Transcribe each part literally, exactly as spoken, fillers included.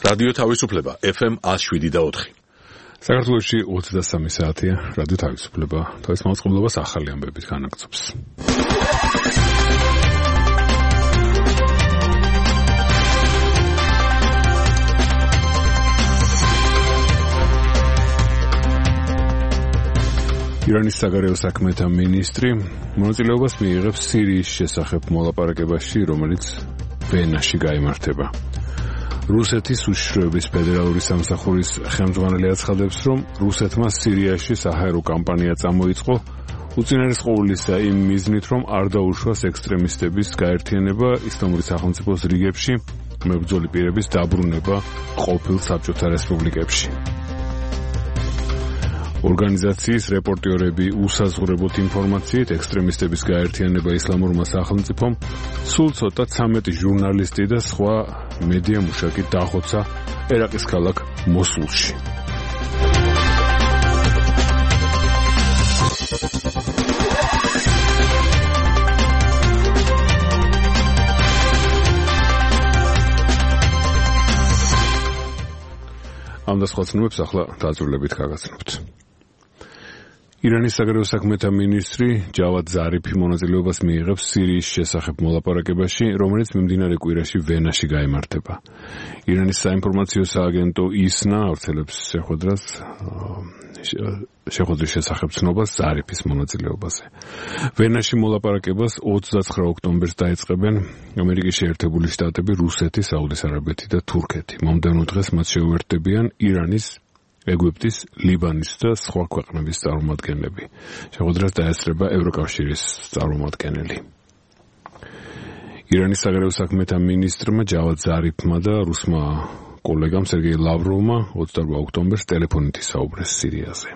რადიო თავისუფლება ეფ ემ one oh seven point four. საქართველოში ოცდასამი საათია რადიო თავისუფლება თავის მაუწყებლობას ახალი ამბებით განაგრძობს. ირანის საგარეო საქმეთა მინისტრი მონაწილეობას მიიღებს სირიის შესახებ მოლაპარაკებაში, რომელიც ვენაში გაიმართება. რუსეთის უშიშროების ფედერალური სამსახურის ხელმძღვანელი აცხადებს, რომ რუსეთმა სირიაში საჰაერო კამპანია წამოიწყო, უწინარესყოვლისა იმ მიზნით, რომ არ დაუშვას ექსტრემისტების გაერთიანება ისლამური სახელმწიფოს რიგებში, მებრძოლი პირების დაბრუნება ყოფილ საბჭოთა რესპუბლიკებში. ორგანიზაციის რეპორტიორები უსაზღვრებოთ ინფორმაციით ექსტრემისტების გაერთიანება ისლამურმა სახელმწიფომ სულ ცოტა ცამეტი ჟურნალისტი და სხვა მედია მუშაკი დახოცა ერაყის ქალაქ მოსულში. ამ და სხვა ცნობებს ახლა დაძრულებით გაგაცნობთ. ირანის საგარეო საქმეთა მინისტრი ჯავად ზარიფი მონაწილეობას მიიღებს სირიის შესახებ მოლაპარაკებაში, რომელიც მიმდინარე კვირაში ვენაში გაიმართება. ირანის საინფორმაციო სააგენტო ისნა ავრცელებს შეხვედრას შეხვედრის შესახებ ცნობას ზარიფის მონაწილეობაზე. ვენაში მოლაპარაკებას ოცდაცხრა ოქტომბერს დაიწყებენ ამერიკის შეერთებული შტატები, რუსეთი, საუდის არაბეთი და თურქეთი. მომდევნო დღეს მათ შეუერთდებიან ირანის, ეგვიპტის, ლიბანის და სხვა ქვეყნების წარმომადგენლები. შეხვედრას დაესწრება ევროკავშირის წარმომადგენელი. ირანის საგარეო საქმეთა მინისტრმა ჯავად ზარიფმა და რუსმა კოლეგამ სერგეი ლავროვმა ოცდაორბა ოქტომბერს ტელეფონით ისაუბრეს სირიაზე.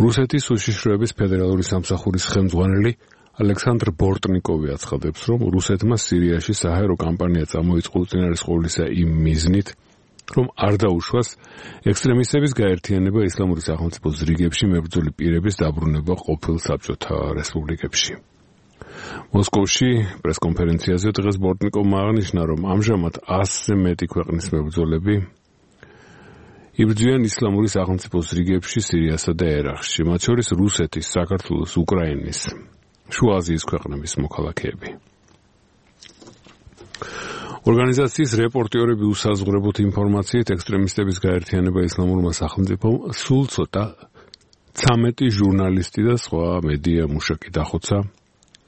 რუსეთის უშიშროების ფედერალური სამსახურის ხელმძღვანელი ალექსანდრ ბორტნიკოვი აცხადებს, რომ რუსეთმა სირიაში საჰაერო კამპანია წამოიწყო უწინარესყოვლისა იმ მიზნით, რომ არ დაუშვას ექსტრემისტების გაერთიანება ისლამური სახელმწიფოს რიგებში, მებრძოლი პირების დაბრუნება ყოფილ საბჭოთა რესპუბლიკებში. მოსკოვში პრესკონფერენციაზე დღეს ბორტნიკოვმა აღნიშნა, რომ ამჟამად ასზე მეტი ქვეყნის მებრძოლები იბრძვიან ისლამური სახელმწიფოს რიგებში სირიასა და ერაყში, მათ შორის რუსეთის, საქართველოს, უკრაინის, შუა აზიის ქვეყნების მოქალაქეები. ორგანიზაციის რეპორტიორები უსაზღვრებოთ ინფორმაციით ექსტრემისტების გაერთიანება ისლამურმა სახელმწიფომ სულ ცოტა ცამეტი ჟურნალისტი და სხვა მედია მუშაკი დახოცა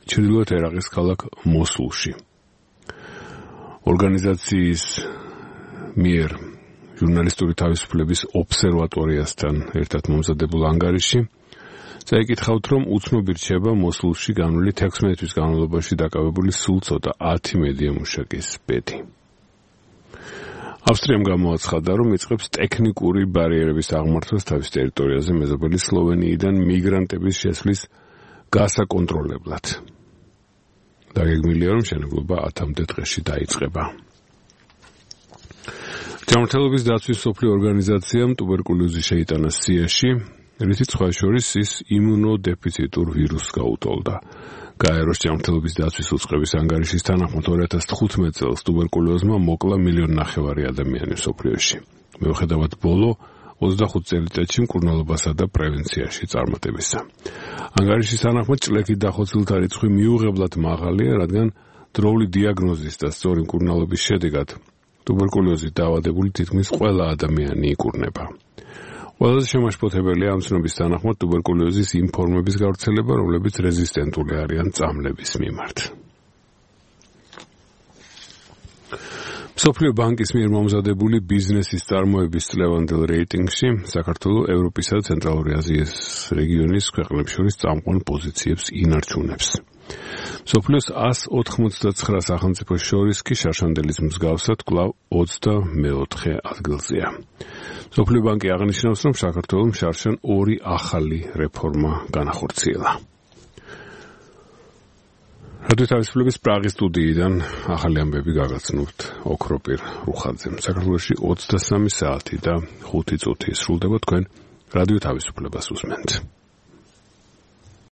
ჩრდილოეთ ერაყის ქალაქ მოსულში. ორგანიზაციის მიერ ჟურნალისტური თავისუფლების ობსერვატორიასთან ერთად მომზადებულ ანგარიში წაიკითხავთ, რომ უცნობი რჩება მოსულში განვლილი თექვსმეტი თვის განმავლობაში დაკავებული სულ ცოტა ათი მედია მუშაკის ბედი. ავსტრიამ გამოაცხადა, რომ იწყებს ტექნიკური ბარიერების აღმართვას თავის ტერიტორიაზე მეზობელი სლოვენიიდან მიგრანტების შესვლის გასაკონტროლებლად. დაგეგმილია, რომ მშენებლობა ათამდე დღეში დაიწყება. ჯანმრთელობის დაცვის მსოფლიო ორგანიზაციამ ტუბერკულოზი შეიტანა სიაში, რითიც სხვა შორის ის იმუნოდეფიციტურ ვირუსს გაუტოლდა. გაეროს ჯანმრთელობის დაცვის უწყების ანგარიშის თანახმად ორი ათას თხუთმეტ წელს ტუბერკულოზმა მოკლა მილიონ ნახევარი ადამიანი მსოფლიოში. მიუხედავად ბოლო ოცდახუთ წელიწადში მკურნალობასა და პრევენციაში წარმატებისა. ანგარიშის თანახმად ჭლექით დახოცილთა რიცხვი მიუღებლად მაღალია, რადგან დროული დიაგნოზის და სწორი მკურნალობის შედეგად ტუბერკულოზით დაავადებული თითქმის ყველა ადამიანი იკურნება. ყველაზე შემაშფოთებელია ამ ცნობის თანახმად ტუბერკულოზის იმ ფორმების გავრცელება, რომლებიც რეზისტენტული არიან წამლების მიმართ. მსოფლიო ბანკის მიერ მომზადებული ბიზნესის წარმოების წლევანდელ რეიტინგში საქართველო ევროპისა და ცენტრალური აზიის რეგიონის ქვეყნებს შორის წამყვან პოზიციებს ინარჩუნებს. მსოფლიოს ას ოთხმოცდაცხრა სახელმწიფოს შორის კი შარშანდელის მსგავსად კვლავ ოცდამეოთხე ადგილზეა. მსოფლიო ბანკი აღნიშნავს, რომ საქართველომ შარშან ორი ახალი რეფორმა განახორციელა. რადიო თავისუფლების პრაღის სტუდიიდან ახალი ამბები გაგაცნობთ ოქროპირ რუხაძემ. საქართველოში ოცდასამი საათი და ხუთი წუთი სრულდება, თქვენ რადიო თავისუფლებას უსმენთ.